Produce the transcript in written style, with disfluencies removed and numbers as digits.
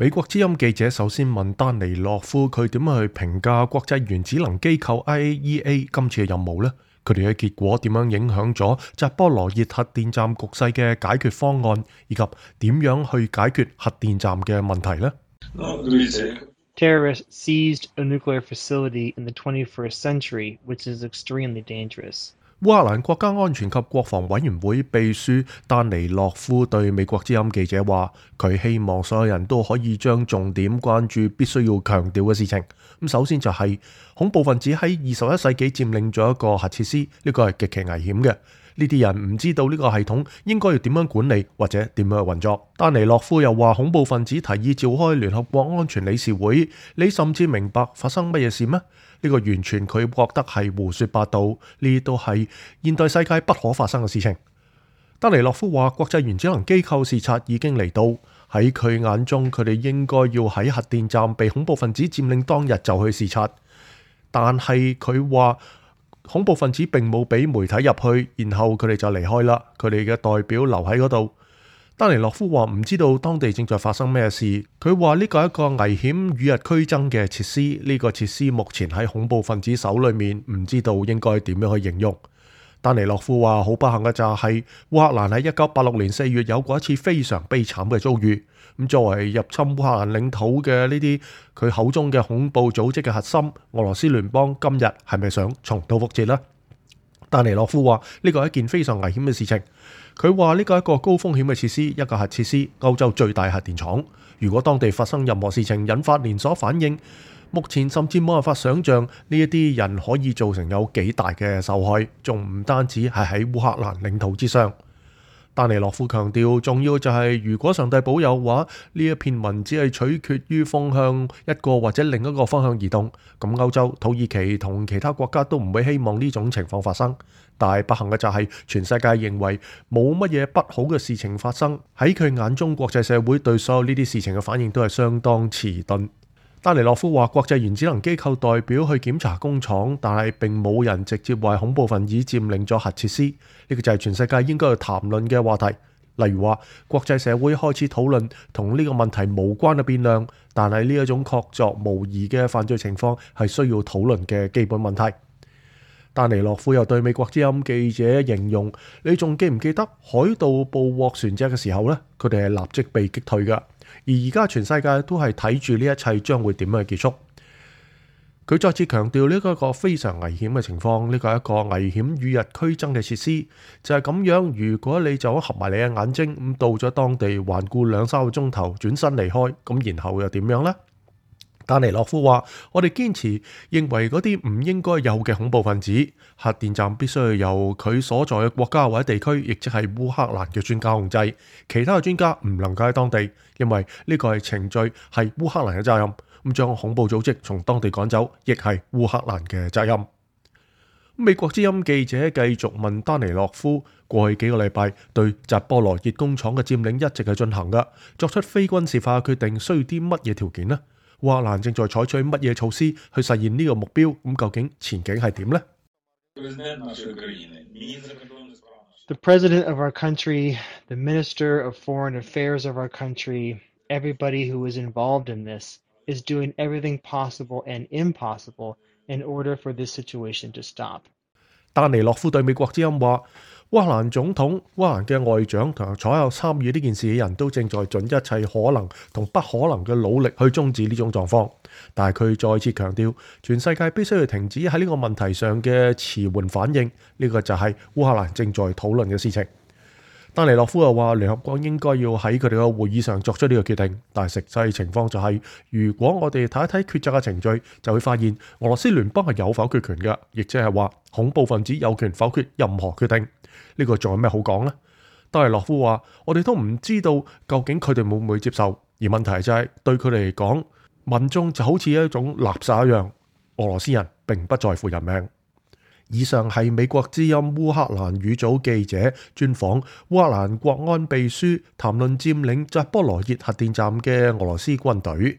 美國之音記者首先問丹尼洛夫佢點樣去評價國際原子能機構 IAEA 今次嘅任務呢？佢哋嘅結果點樣影響咗扎波羅熱核電站局勢嘅解決方案，以及點樣去解決核電站嘅問題呢？ Terrorists seized a nuclear facility in the 21st century, which is extremely dangerous. 烏克蘭國家安全及國防委員會秘書丹尼洛夫對美國之音記者話：佢希望所有人都可以將重點關注必須要強調嘅事情。咁首先就係恐怖分子喺21世紀佔領咗一個核設施，呢個係極其危險嘅。呢啲人唔知道呢個系統應該要點樣管理或者點樣去運作。丹尼洛夫又話：恐怖分子提議召開聯合國安全理事會，你甚至明白發生乜嘢事咩？呢個完全佢覺得係胡說八道，呢都係現代世界不可發生嘅事情。丹尼洛夫話：國際原子能機構視察已經嚟到，喺佢眼中佢哋應該要喺核電站被恐怖分子佔領當日就去視察，但係佢話恐怖分子並冇俾媒體入去，然後佢哋就離開啦，佢哋嘅代表留喺嗰度。丹尼洛夫話唔知道當地正在發生咩事，佢話呢個係一個危險與日俱增嘅設施，呢個設施目前喺恐怖分子手裏面，唔知道應該點樣去形容。丹尼洛夫話好不幸嘅就係烏克蘭喺1986年4月有過一次非常悲慘嘅遭遇。咁作為入侵烏克蘭領土嘅呢啲佢口中嘅恐怖組織嘅核心，俄羅斯聯邦今日係咪想重蹈覆轍呢？丹尼洛夫話呢個係一件非常危險嘅事情。佢話呢個係一個高風險嘅設施，一個核設施，歐洲最大核電廠。如果當地發生任何事情，引發連鎖反應，目前甚至冇辦法想像呢一啲人可以造成有幾大嘅受害，仲唔單止係喺烏克蘭領土之上。丹尼洛夫強調，重要就係如果上帝保佑嘅話，呢一片雲只係取決於風向一個或者另一個方向移動。咁歐洲、土耳其同其他國家都唔會希望呢種情況發生。但係不幸嘅就係全世界認為冇乜嘢不好嘅事情發生。喺佢眼中，國際社會對所有呢啲事情嘅反應都係相當遲鈍。丹尼洛夫話：國際原子能機構代表去檢查工廠，但係並冇人直接為恐怖分子佔領咗核設施。呢個就係全世界應該去談論嘅話題。例如話，國際社會開始討論同呢個問題無關嘅變量，但係呢一種確鑿無疑嘅犯罪情況係需要討論嘅基本問題。丹尼洛夫又對美國之音記者形容：你仲記唔記得海盜捕獲船隻嘅時候呢？佢哋係立即被擊退㗎。而而家全世界都係睇住呢一切將會點樣結束。佢再次強調呢個係一個非常危險嘅情況，呢個係一個危險與日俱增嘅設施，就係咁樣。如果你就合埋你嘅眼睛，咁到咗當地環顧2-3個鐘頭，轉身離開，咁然後又點樣呢？丹尼洛夫話：我哋堅持認為嗰啲唔應該有嘅恐怖分子，核電站必須要由佢所在嘅國家或者地區，亦即係烏克蘭嘅專家控制。其他嘅專家唔能夠喺當地，因為呢個係程序，係烏克蘭嘅責任。咁將恐怖組織從當地趕走，亦係烏克蘭嘅責任。美國之音記者繼續問丹尼洛夫：過去幾個禮拜對扎波羅熱工廠嘅佔領一直係進行㗎，作出非軍事化嘅決定需要啲乜嘢條件呢？烏克蘭正在採取乜嘢措施去實現呢個目標？咁究竟前景係點呢？ The president of our country, the minister of foreign affairs of our country, everybody who is involved in this is doing everything possible and impossible in order for this situation to stop. 丹尼洛夫對美國之音話：烏克蘭總統、烏克蘭嘅外長同所有參與呢件事嘅人都正在盡一切可能同不可能嘅努力去終止呢種狀況。但係佢再次強調，全世界必須要停止喺呢個問題上嘅遲緩反應。呢個就係烏克蘭正在討論嘅事情。丹尼洛夫又話：聯合國應該要喺佢哋嘅會議上作出呢個決定，但係實際情況就係，如果我哋睇一睇決策嘅程序，就會發現俄羅斯聯邦係有否決權嘅，亦即係話恐怖分子有權否決任何決定。呢個仲有咩好講呢？丹尼洛夫話：我哋都唔知道究竟佢哋會唔會接受，而問題就係對佢哋嚟講，民眾就好似一種垃圾一樣，俄羅斯人並不在乎人命。以上係美國之音烏克蘭語組記者專訪烏克蘭國安秘書，談論佔領扎波羅熱核電站嘅俄羅斯軍隊。